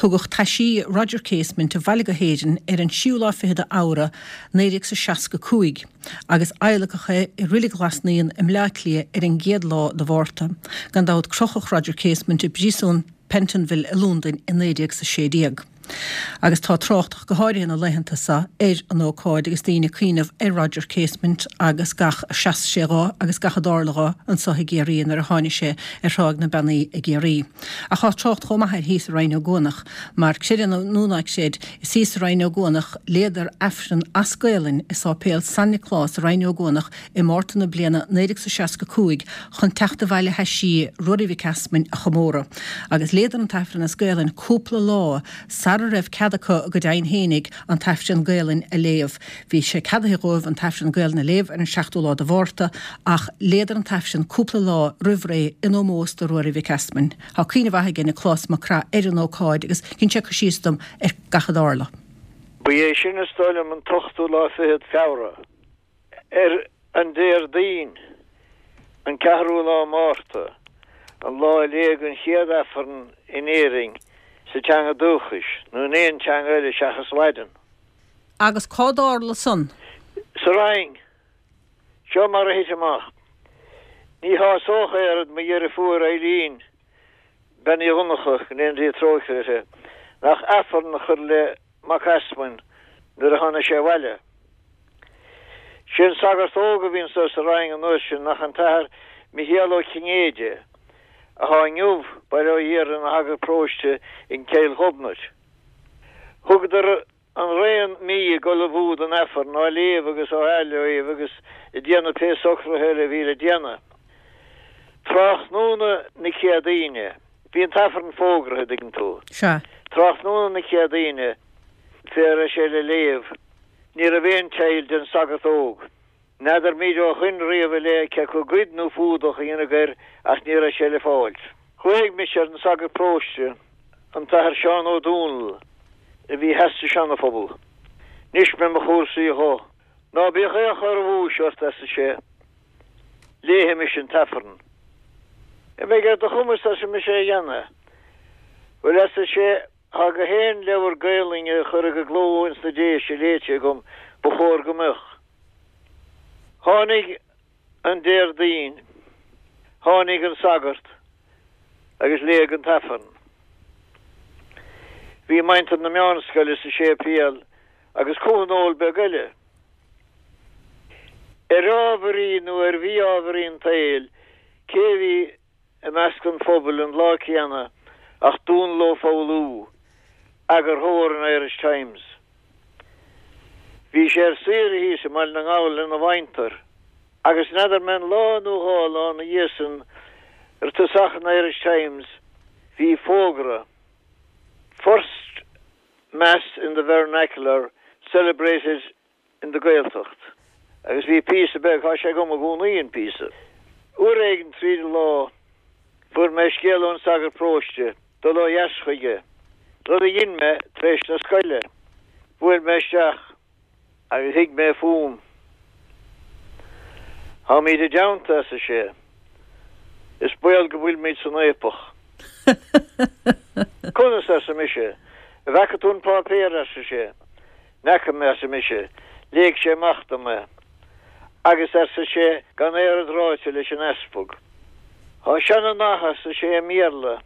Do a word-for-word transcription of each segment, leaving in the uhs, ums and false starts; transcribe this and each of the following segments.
Tugadh taisí Roger Casement abhaile go hÉirinn ar an séú lá fichead Feabhra naoi déag seasca cúig, agus adhlacadh é i Reilig Ghlas Naíon i mBleá Cliath ar an gcéad lá de Mhárta. Gan dabht crochadh Roger Casement i bpríosún Pentonville i Londain i naoi déag sé déag. Agus tá trácht go háirithe na laethanta seo ar an ócáid agus daoine ag cuimhneamh ar Roger Casement agus gach a sheas sé dó agus gach a dtarla dó anseo i gCiarraí nuair a tháinig sé ar Thráigh na Beannaí i gCiarraí. Ach tá trácht chomh maith air thíos i Rinn Ó gCuanach, mar creid é nó ná creid, is thíos i Rinn Ó gCuanach léadar Aifreann as Gaelainn i Sáipéal San Nioclás i Rinn Ó gCuanach i Márta na bliana naoi déag seasca cúig chun teacht abhaile thaisí Ruairí Mhic Easmainn a chomóradh. Agus léadar an tAifreann as Gaelainn cúpla lá sara raibh cead acu go deimhin fhéinig an tAifreann Gaelainn a léamh. Bhí sé ceadaithe dóibh an tAifreann Gaelainn a léamh ar an seachtú lá de Mhárta ach léadar an tAifreann cúpla lá roimh ré in ómós do Ruairí Mhic Easmainn. Tá cuimhne mhaith aige Nioclás Mac Craith ar an ócáid agus dhein sé cur síos dom ar gach a dtarla. Ba é sin is dóigh liom an t-ochtú lá fichead Feabhra. Ar an Déardaoin, an ceathrú lá Márta, an lá a léadh an chéad Aifreann in Éirinn sa teanga dúchais nó in aon teanga eile seachas Laidin. Agus cá dtarla san? Sa Rinn. Seo mar a thit amach. Ní shásódh oiread mo dheirfiúr Eileen, Bean Uí Dhonncha, go ndéana Dia trócaire uirthi, nach Aifreann a chur le Mac Easmainn nuair a tháinig sé abhaile. Sé an sagart óg a bhí anso sa Rinn an uair sin nach an tAthair Michéal Ó Cinnéide, atá inniu, bail ó Dhia air, ina shagart paróiste in Cill Ghobnait. Thugadar an raon mí ag ullmhú don Aifreann, á léamh agus á athléamh agus ag déanamh pé socruithe eile a bhí le déanamh. Tráthnóna na Céadaoine, bhí an tAifreann fógraithe, an dtuigeann tú. Sea. Tráthnóna na Céadaoine, fé raibh sé le léamh, ní raibh aon teill den sagart óg. N'fheadar míd ó shoin riamh i leith cé acu goid nó fuadach a dhéanamh air ach ní raibh sé le fáilt. Ghlaoigh mise ar an sagart paróiste, an tAthair Seán Ó Dónaill, a bhí theas sa Seana-Phobal. D'inis mé mo chúrsaí dho. Ná bíodh aon chor amhais ort, arsa sé. Léifimis an tAifreann. An mbeidh ar do chumas, arsa mise, é a dhéanamh? Bhuel, arsa sé, tá gach aon leabhar Gaelainne a cuireadh i gcló ins na Déise léite agam, ba chóir go mbeadh. Tháinig an Déardaoin, tháinig an sagart agus léadh an tAifreann. Bhí muintir na meánscoile sa séipéal agus comhthionól beag eile. Ar ámharaí nó ar mhí-ámharaí an tsaoil, cé a bhí i measc an phobail an lá céanna ach Dónall Ó Foghlú, eagarthóir an Irish Times. Bhí sé ar saoire thíos i mBaile na nGall lena mhuintir agus n'fheadar mé an lá nó dhá lá ina dhiaidh san ar tosach an Irish Times bhí fógra First Mass in the Vernacular celebrated in the Gaeltacht agus bhí píosa beag, tá sé agam i gcónaí an píosa. Uair éigin tríd an lá fuair mé scéala ón sagart paróiste dul ó dheas chuige, rud a dhein mé tar éis na scoile. Bhuail mé isteach agus shuigh mé fúm. Táimid i dteannta, arsa sé. Is baol go bhfuilimid san fhaopach. Conas, arsa mise. An bhfaca tú an páipéar, arsa sé. N'fheaca mé, arsa mise. Léigh sé amach dom é. Agus, arsa sé, gan oiread ráite leis an easpag. Tá seana-nath, arsa sé, i mBéarla,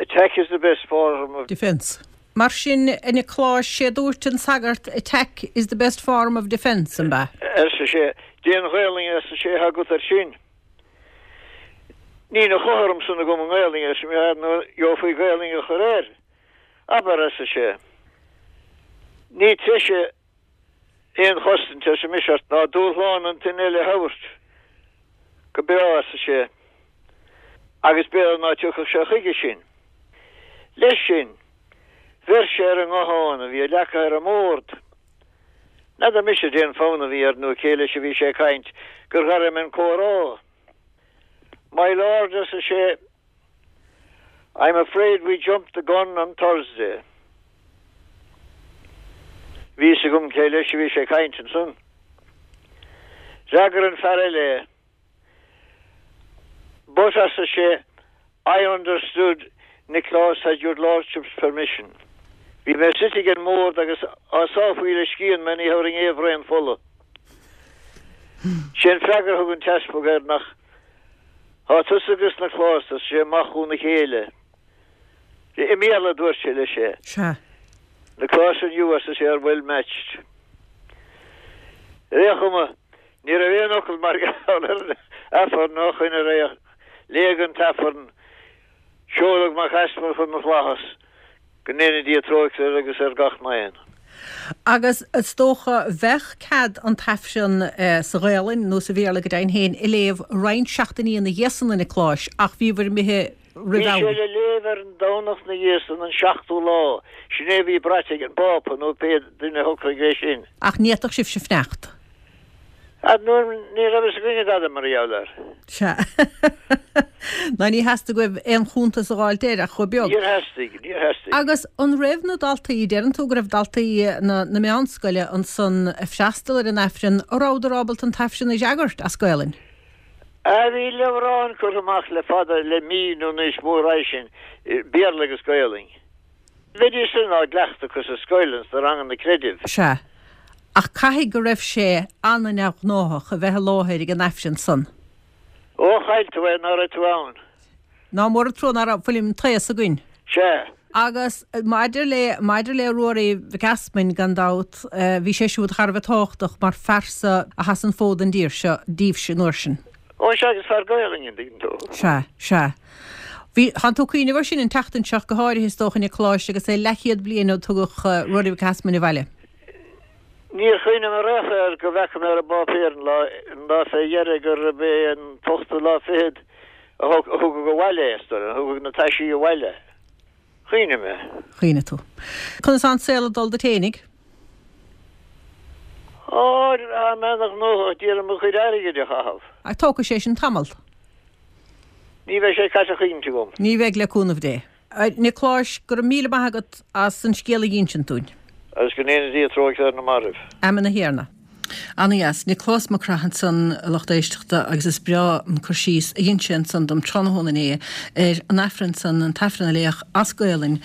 Attack is the best form of. Defence. Mar sin, a Niocláis, sé dúirt an sagart, Attack is the best form of defence, an b'ea? Arsa sé, Dén Ghaelainn, arsa sé, atá agat air sin. Níl a chothrom san agam i nGaelainn, arsa mé, nó gheofaí Gaelainn a chur air. Abair, arsa sé. Ní treise aon chosaint, arsa mise, ort ná dúshlán an duine eile a thabhairt. Go breá, arsa sé. Agus b'fhéidir ná tiocfadh sé chuige sin. Leis sin, bheir sé ar an nguthán a bhí leagtha ar an mbord. N'fheadar mise dén fonn a bhí air nó cé leis a bhí sé ag caint gur ghairm an comhrá. My lord, arsa sé, I'm afraid we jumped the gun on Thursday. Bhí fhios agam cé leis a bhí sé ag caint ansan. D'fhreagair an fear eile é. But, arsa sé, I understood Nioclás had your lordship's permission. Bhí mé suite ag an mbord agus á sá faoi le scian mé ní thabharfainn aon bhraon fola. Sé an freagra a thug an t-easpag air nach Tá tusa agus Nioclás, arsa sé, amach óna chéile. I mBéarla a dúirt sé leis é. Sea. Nioclás and you, arsa sé, are well matched. Ar aon chuma, ní raibh aon fhocal mar gheall ar an Aifreann ó shoin ar aghaidh. Léadh an tAifreann, seoladh Mac Easmainn chun na bhFlaitheas, go ndéana Dia trócaire air agus ar gach n-aon. Agus is dócha bheadh cead an tAifreann sa Ghaelainn, nó sa Bhéarla go deimhin féin, a léamh roinnt seachtainí ina dhiaidh san, a Niocláis, ach bhíobhair imithe roimh Bhí am. sé le léamh ar an Domhnach 'na dhiaidh san, an seachtú lá. Sin é a bhí braite ag an bPápa nó pé duine a shocraigh é sin. Ach ní fhéadfadh sibhse fanacht. Ar ndóigh, ní raibh fhios againne dada mar gheall air. Sea. Ná ní theastaigh uaibh aon chuntas a dh'fháilt air ach chomh beag. Níor theastaigh, níor theastaigh. Agus an raibh na daltaí, deireann tú go raibh daltaí na na meánscoile ansan ag freastal ar an Aifreann, an rabhadar ábalta an tAifreann a fhreagairt as Gaelainn? Ah, bhí leabhrán curtha amach le fada, le mí nó níos mó roimhe sin, Béarla agus Gaelainn. Bheidís sin á gcleachtadh acu sa scoil, ins na ranganna creidimh. Sea. Ach caithfidh go raibh sé ana-neamhghnáthach a bheith i láthair ag an Aifreann san. Ó, chaill tú é ná raibh tú ann. Ná mór an trua ná raibh, fuil an t-aos againn. Sea. Agus maidir le, maidir le Ruairí Mhic Easmainn, gan dabht, bhí sé siúd thar a bheith tábhachtach mar phearsa a sheas an fód don dtír seo daoibhse an uair sin. Ó, sea, agus fear Gaelainne, an dtuigeann tú. Sea, sea. Bhí, thánn tú ag cuimhneamh air sin an tseachtain seo go háirithe is dócha, a Niocláis, agus é leathchéad bliain ó tugadh Ruairí Mhic Easmainn abhaile. Níor chuimhnigh mé riamh air go bhfeaca mé ar an bpáipéar an lá, an lá fé dheireadh gurb é an t-ochtú lá fichead a thug, a thugadh abhaile é, is dóigh liom, a thugadh na taisí abhaile. Chuimhnigh mé. Chuimhnigh tú. Conas tá an saol ag dul duit fhéinig? Ó, tá mé ana-ghnóthach d'iarraidh mo chuid airgid a chaitheamh. Ach tógfaidh sé sin tamall. Ní bheidh sé caite choíche agam. Ní bheidh, le cúnamh Dé. A Niocláis, go raibh míle maith agat as an scéal a dh'insint dúinn. Agus go ndéana Dia trócaire ar na mairbh. Amen a Thiarna. Ana-dheas. Nioclás Mac Craith ansan, a lucht éisteachta, agus is breá an cur síos a dhein sé ansan dom tráthnóna inné ar an Aifreann san, an tAifreann a léadh as Gaolainn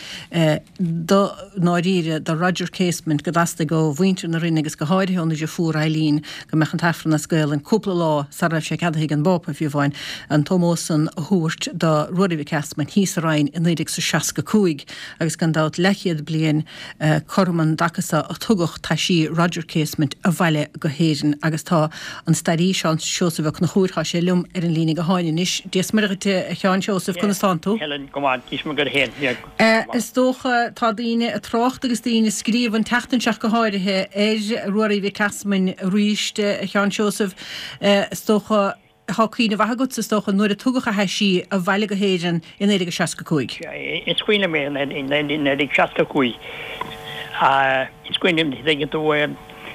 do ndáiríre do Roger Casement go dteastaigh ó mhuintir na Rinne agus go háirithe óna dheirfiúr Eileen go mbeadh an tAifreann as Gaolainn cúpla lá sara raibh sé ceadaithe ag an bPápa, fiú amháin, an t-ómós san a thabhairt do Ruairí Mhic Easmainn thíos sa Rinn i naoi déag 's a seasca cúig agus gan dabht leathchéad bliain cothrom an dtaca so a tugadh taisí Roger Casement abhaile go hÉirinn agus tá an staraí Seán Seosamh Ó Conchúir, tá sé liom ar an líne gutháin anois. Dia is Muire dhuit a Sheáin Seosaimh, conas tánn tú? Helen, go maith, Dia is Muire dhuit féin, yeah, go maith. Is dócha, tá daoine ag trácht agus daoine ag scríobh an tseachtain seo go háirithe ar Ruairí Mhic Easmainn arís, a Sheáin Seosaimh, is dócha, Tá cuimhne mhaith agatsa, is dócha, nuair a tugadh a thaisí abhaile go hÉirinn i naoi déag a seasca cúig. Is cuimhin liom é i naoi déag seasca cúig. Is cuimhin liom, tuigeann tú,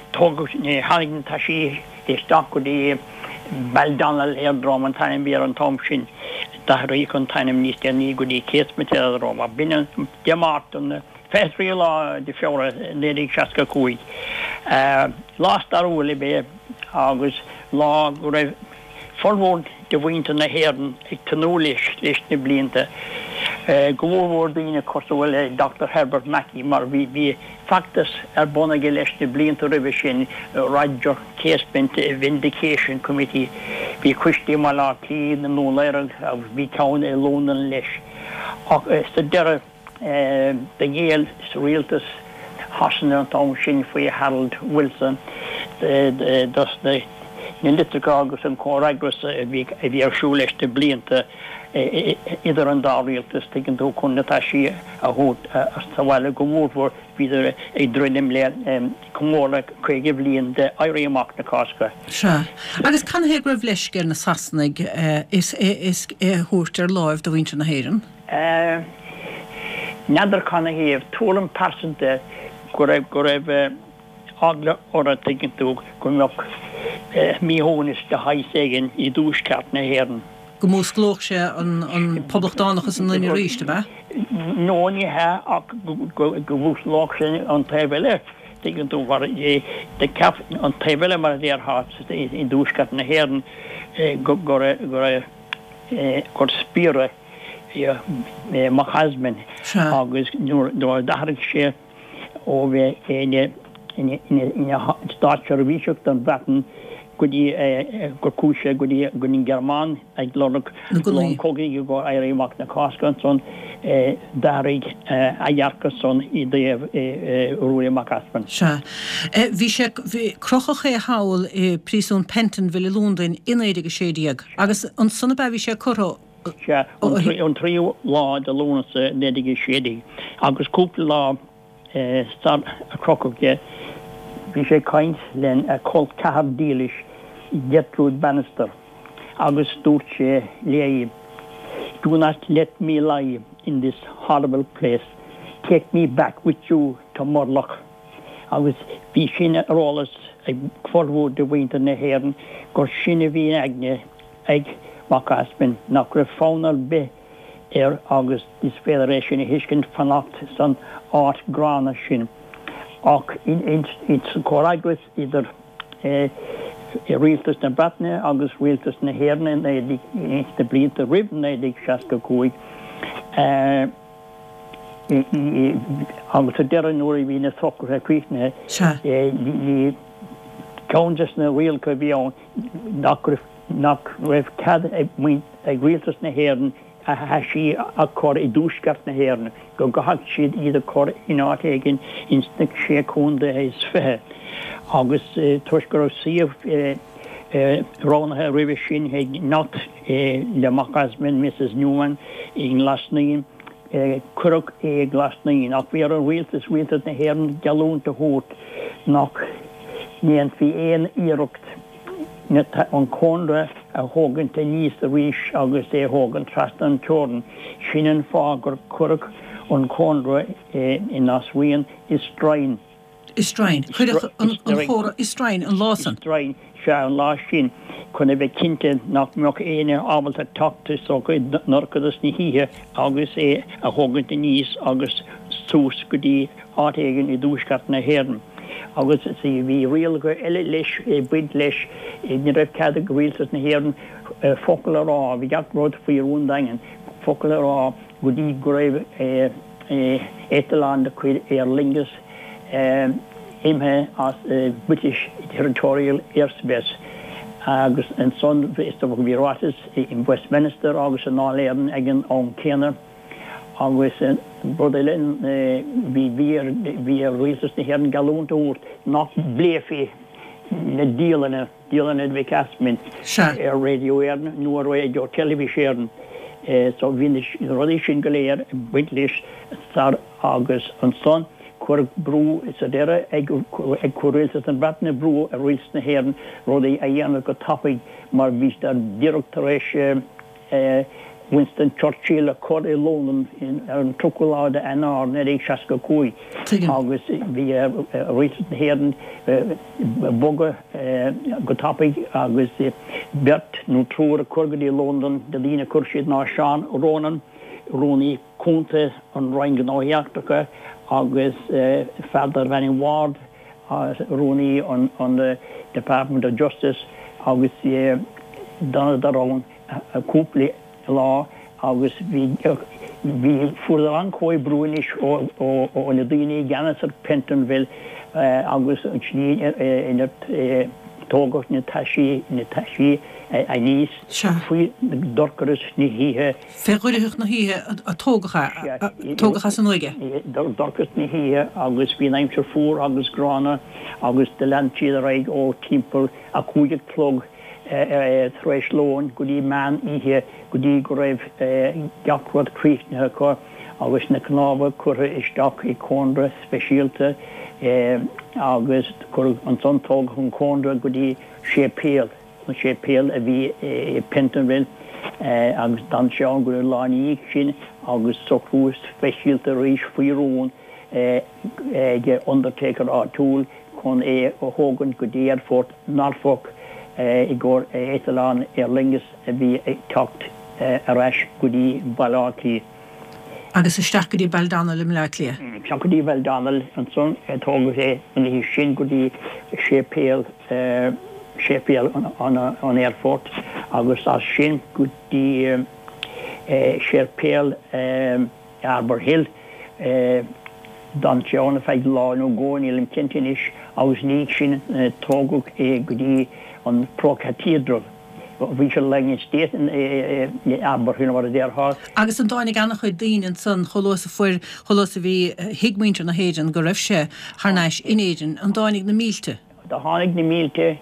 tógadh, tháinig na taisí isteach go dtí Baldonnel Aerodrome an t-ainm a bhí air an t-am sin. D'athraíodh an t-ainm níos déanaí go dtí Casement Aerodrome. B'in an Dé Máirt an fiche tríú lá de Feabhra naoi déag seasca cúig. Lá stairiúil ab ea é agus lá go raibh formhór de mhuintir na hÉireann ag tnúth leis leis na blianta, go mórmhór daoine cosúil le Doctor Herbert Mackey mar bhí bhí feachtas ar bun aige leis na blianta roimhe sin, Roger Casement Vindication Committee. Bhí coistí i mBaile Átha Cliath, i nDún Laoghaire agus bhí ceann i Londain leis. Ach sa deireadh. Do ghéill rialtas Shasana an t-am sin faoi Harold Wilson dos na litreacha agus an comhfhreagras a bhí ar siúl leis na blianta idir an dá rialtas, tuigeann tú, chun na taisí a thabhairt sa bhaile go mórmhór bhíodar ag druidim le comóradh caoga bliain de Éirí Amach na Cásca. Sea. Agus canathaobh go raibh leisce ar na Sasanaigh é a thabhairt ar láimh do mhuintir na hÉireann? N'fheadar canathaobh, tuairim pearsanta go raibh, go raibh eagla orthu, tuigeann tú, go mbeadh míshuaimhneas de shaghas éigin i dtuaisceart na hÉireann. Go músclódh sé an poblachtánachas i ndaoine arís, ab ea? No, ní hea, ach go músclódh sé an taobh eile, tuigeann tú, mar do cheap an taobh eile, mar a déarfá, i dtuaisceart na hÉireann, go raibh, go raibh, gur spiaire Mac Easmainn agus nuair a d'athraigh sé ó bheith ina ina státseirbhíseach don Bhreatain go dtí gur chuaigh sé go dtí go dtí an Ghearmáin ag lorg long cogaidh i gcomhair Éirí Amach na Cásca ansan d'athraigh a dhearcadh san i dtaobh Ruairí Mac Easmainn. Sea. Bhí sé, bhí, crochadh é thall i bpríosún Pentonville i Londain i naoi déag a sé déag agus ansan ab ea bhí sé curtha Sea, an tríú lá de Lúnasa naoi déag a sé déag agus cúpla lá sar a crochadh é, bhí sé ag caint lena chol ceathar dílis Gertrude Bannister agus dúirt sé léi, Do not let me lie in this horrible place, take me back with you to Murlough. Agus bhí sin ar eolas ag formhór de mhuintir na hÉireann gur sin a bhí in aigne ag Mac Easmainn, nach raibh fonn ar bith air agus is féidir é sin a thuiscint fanacht san áit ghránna sin. Ach sa chomhfhreagras idir Rialtas na Breataine agus Rialtas na hÉireann sna blianta roimh naoi déag seasca a cúig, agus sa deireadh nuair a bhí na socruithe críochnaithe, bhí ceann des na rialacha a bhí ann nach raibh nach raibh cead ag Rialtas na hÉireann a thaisí a chur i dtuaisceart na hÉireann, go gcaithfeadh siad iad a chur in áit éigin ins na Sé Chontae is Fiche. Agus toisc go raibh suíomh roghnaithe roimhe sin ag neacht le Mac Easmainn, Mrs Newman, i nGlas Naíon, cuireadh é i nGlas Naíon. Ach bhí ar an Rialtas, Rialtas na hÉireann, geallúint a thabhairt nach ndéanfaí aon iarracht an cónra a thógaint aníos arís agus é a thógaint trasna an teorainn. Sin an fáth gur cuireadh an cónra i nGlas Riain i stroighin. I stroighin. Cuireadh an chónra i stroighin an lá san. I stroighin, sea, an lá sin, chun a bheith cinnte nach mbeadh éinne ábalta teacht isteach i ndorchadas na hoíche agus é a thógaint aníos agus suas go dtí áit éigin i dtuaisceart na hÉireann. Agus bhí rialacha eile leis, ag baint leis, ní raibh cead ag Rialtas na hÉireann focal a rá, bhí gach rud faoi rún daingean, focal a rá go dtí go raibh eitleán de chuid Aer Lingus imithe as British Territorial Airspace. Agus ansan is dócha bhí ráiteas in Westminster agus i nDáil Éireann ag an am céanna. Agus rud eile, bhí bhí ar Rialtas na hÉireann geallúint a thabhairt nach bpléifí na dialanna, dialanna Mhic Easmainn, ar Radio Éireann nó ar Raidió Teilifís Éireann. So bhí na rudaí sin go léir ag baint leis sar agus ansan cuireadh brú sa deireadh ag ag chuir Rialtas na Breataine brú ar Rialtas na hÉireann rudaí a dhéanamh go tapaidh mar bhí siad díreach tar éis Winston Churchill a chur i Londain ar an tríochadú lá de Eanáir naoi déag seasca a cúig agus bhí ar Rialtas na hÉireann bogadh go tapaidh agus beirt nó triúr a chur go dtí Londain de daoine a chuir siad ná Seán Ronan, Rúnaí Cúnta an Roinn Gnóthaí Eachtracha agus fear darbh ainm Ward, Rúnaí an Department of Justice agus d'fhanadar ann cúpla lá agus bhí bhí fuaireadar an-chomhoibriú anois ó ó ó na daoine i gceannas ar Pentonville agus an tslí inar tógadh na taisí na taisí aníos faoi dhorchadas na hoíche. Fé dhoircheacht na hoíche a tógadh é, a tógadh as an uaigh é. Dorchadas na hoíche agus bhí an aimsir fuar agus gránna agus do lean siad ar aghaidh ó timpeall a cúig a chlog tar éis lóin go dtí meán oíche go dtí go raibh gach rud críochnaithe acu agus na cnámha curtha isteach i cónra speisialta agus cuireadh ansan tógadh an cónra go dtí séipéal, an séipéal a bhí i Pentonville agus d'fhan sé ann go dtí an lá ina dhiaidh sin agus socrú speisialta arís faoi rún ag undertaker áitiúil chun é a thógaint go dtí aerfort Norfolk i gcomhair eitleán Aer Lingus a bhí ag teacht ar ais go dtí Baile Átha Cliath. Agus isteach go dtí Baldonnel i mBleá Cliath. Isteach go dtí Baldonnel ansan tógadh é an oíche sin go dtí séipéal séipéal an aerfoirt agus as sin go dtí séipéal Arbour Hill. D'fhan sé ann ar feadh lá nó dhó, nílim cinnte anois, agus ina dhiaidh sin tógadh é go dtí an Pro Cathedral. Bhí sé lying in state in Arbour Hill mar a déarfá. Agus an dtáinig an-chuid daoine ansan chomh luath is a fuair, chomh luath is a bhí, thuig muintir na hÉireann go raibh sé thar n-ais in Éirinn, an dtáinig na mílte? Do tháinig na mílte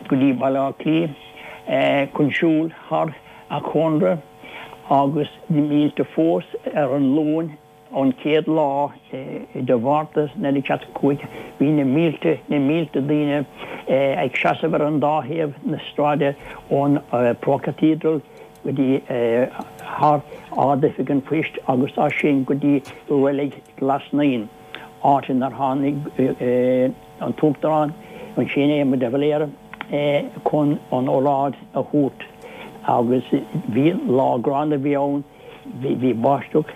go dtí Baile Átha Cliath chun siúl thar a chónra agus na mílte fós ar an Luan an chéad lá de Mhárta naoi déag seasca cúig. Bhí na mílte, na mílte daoine ag seasamh ar an dá thaobh na sráide ón Pro Cathedral go dtí thar Ard-Oifig an Phoist agus as sin go dtí Reilig Ghlas Naíon, áit inar tháinig an tUachtarán ansin, Éamon de Valera, chun an óráid a thabhairt agus bhí lá gránna a bhí ann, bhí báisteach,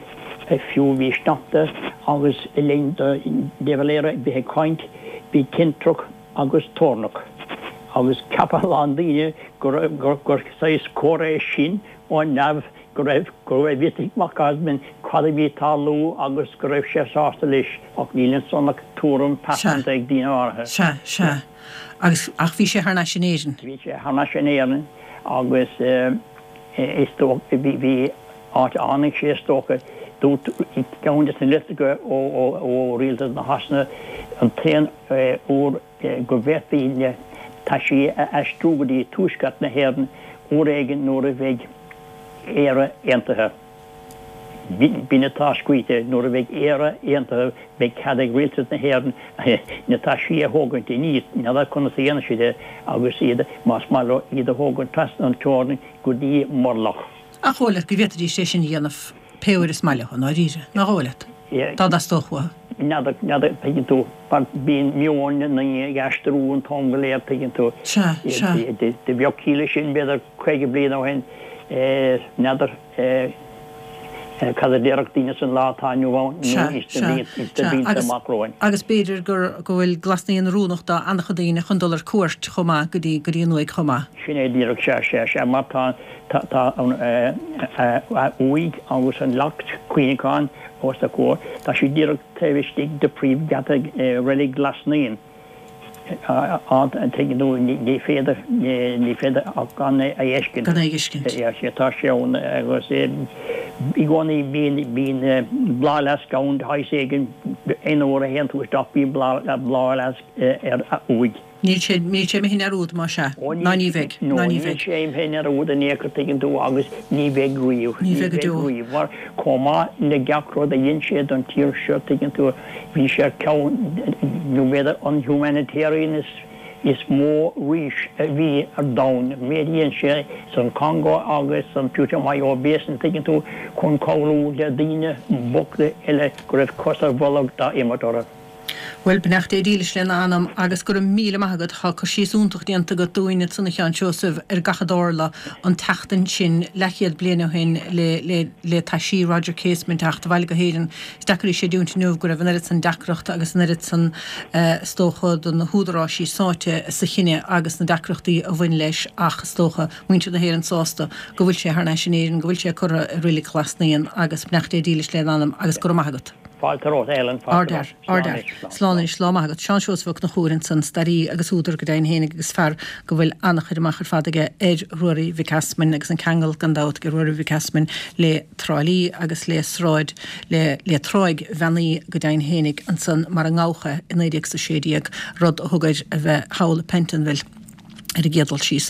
fiú bhí sneachta agus le linn do de Valera bheith ag caint bhí tintreach agus toirneach agus cheap a lán daoine gur saghas comhartha é sin ó neamh go raibh go raibh fhios ag Mac Easmainn cad a bhí ag tarlú agus go raibh sé sásta leis ach níl ansan ach tuairim pearsanta ag daoine áirithe. Sea, sea. Agus, ach bhí sé thar n-ais in Éirinn. Bhí sé thar n-ais in Éirinn agus is dócha, bhí, bhí áit a tháinig sé is dócha, dúirt ceann de na litreacha ó, ó, ó Rialtas na Shasana an t-aon uair go bhféadfaí na taisí a aistriú go dtí tuaisceart na hÉireann uair éigin nuair a bheidh Éire aontaithe. B'in atá scríte, nuair a bheidh Éire aontaithe beidh cead ag Rialtas na hÉireann na taisí a thógaint aníos, n'fheadar conas a dhéanfaidh siad é, agus iad, más maith leo, iad a thógaint trasna an teorainn go dtí Murlough. Ach dhóigh leat go bhféadfaidís é sin a dhéanamh pé uair is maith leo, i ndáiríre, nach dhóigh leat? Dá dteastódh uathu. N'fheadar, n'fheadar, tuigeann tú, mar bíonn meon na ndaoine ag aistriú an t-am go léir, tuigeann tú. Sea, sea. Do bheadh ciall leis sin, b'fhéidir, caoga bliain ó shin, n'fheadar cad a déarfadh daoine san lá atá inniu ann nó ins na blianta amach romhainn. Agus b'fhéidir go bhfuil Glas Naíon oiriúnach do an-chuid daoine chun dul ar cuairt chomh maith go dtí go dtí an uaigh chomh maith. Sin é díreach, sea, sea, sea, mar tá tá an uaigh agus an leacht cuimhneacháin os a comhair, tá sí díreach taobh istigh de phríomhgheata Reilig Ghlas Naíon. Tuigeann tú, ní féidir, ní féidir ach gan é a fheiscint. Gan é a fheiscint. Sea, tá sé ann agus i gcónaí bíonn, bíonn bláthfhleasc ann de shaghas éigin, aon uair a théann tú isteach bíonn bláthfhleasc ar a uaigh. Níl sé, níl sé imithe i ndearúd, más ea. Ó Ná ní bheidh. No, Ná ní níl bheidh. sé imithe i ndearúd in aon chor, tuigeann tú, agus ní bheidh riamh. Ní Ní bheidh go bheidh deo. riamh. Mar chomh maith le gach rud a dhein sé don tír seo, tuigeann tú, bhí sé ar ceann, nó b'fhéidir an humanitarian is, is mó arís a bhí ar domhan. An méid a dhein sé san Congo agus san Putumayo Basin, tuigeann tú, chun cabhrú le daoine bochta eile go raibh cos ar bholg dá imirt orthu. Bhuel, beannacht Dé dílis lena anam agus go raibh míle maith agat. Tá cur síos iontach déanta agat dúinn ansan a Sheáin Seosaimh ar gach a dtarla an tseachtain sin leathchéad bliain ó shin le le le taisí Roger Casement teacht abhaile go hÉirinn. Is deacair é a chreidiúint inniu go raibh an oiread san deacracht agus an oiread san is dócha de na húdaráisí sáite sa chinneadh agus na deacrachtaí a bhain leis ach is dócha muintir na hÉireann sásta go bhfuil sé thar n-ais in Éirinn, go bhfuil sé curtha i Reilig Ghlas Naíon agus beannacht Dé dílis lena anam agus go raibh maith agat. Fáilte romhat, Ellen, fáilte Ardfhear, romhat. Slán ardfhear. anois, slán, Slán slán. anois, lá maith agat. Seán Seosamh Ó Conchúir ansan, staraí agus údar go deimhin fhéinig agus fear go bhfuil an-chur amach ar fad aige ar Ruairí Mhic Easmainn agus an ceangal gan dabht ag Ruairí Mhic Easmainn le Trá Lí agus le sráid, le, le Tráigh Bheannaí go deimhin fhéinig ansan mar a ngabhadh é i naoi déag is a sé déag, rud a thug air a bheith thall i Pentonville ar an gcéad dul síos.